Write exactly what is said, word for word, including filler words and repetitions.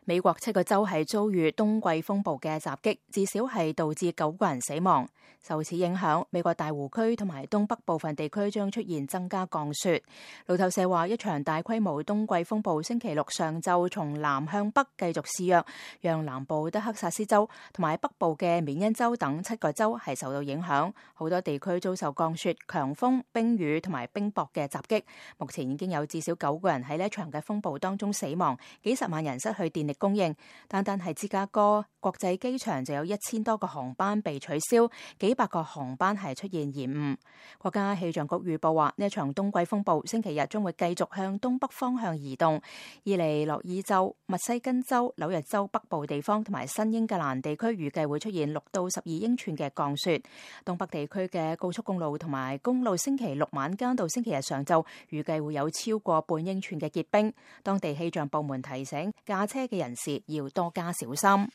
美國七個州係遭遇冬季風暴嘅襲擊，至少係導致九個人死亡。受此影響，美國大湖區同埋東北部分地區將出現增加降雪。路透社話，一場大規模冬季風暴星期六上晝從南向北繼續肆虐，讓南部德克薩斯州同埋北部嘅緬因州等七個州係受到影響，好多地區遭受降雪、強風、冰雨同埋冰雹嘅襲擊。目前已經有至少九個人喺呢一場嘅風暴當中死亡，幾十萬人失去電力供應，單單係芝加哥國際機場就有一千多個航班被取消，幾百個航班係出現延誤。國家氣象局預報話，呢一場冬季風暴星期日將會繼續向東北方向移動，伊利諾伊州、密西根州、紐約州北部地方同埋新英格蘭地區預計會出現六到十二英寸嘅降雪。東北地區嘅高速公路同埋公路星期六晚間到星期日上晝預計會有超過半英寸嘅結冰。當地氣象部門提醒駕車嘅人士要多加小心。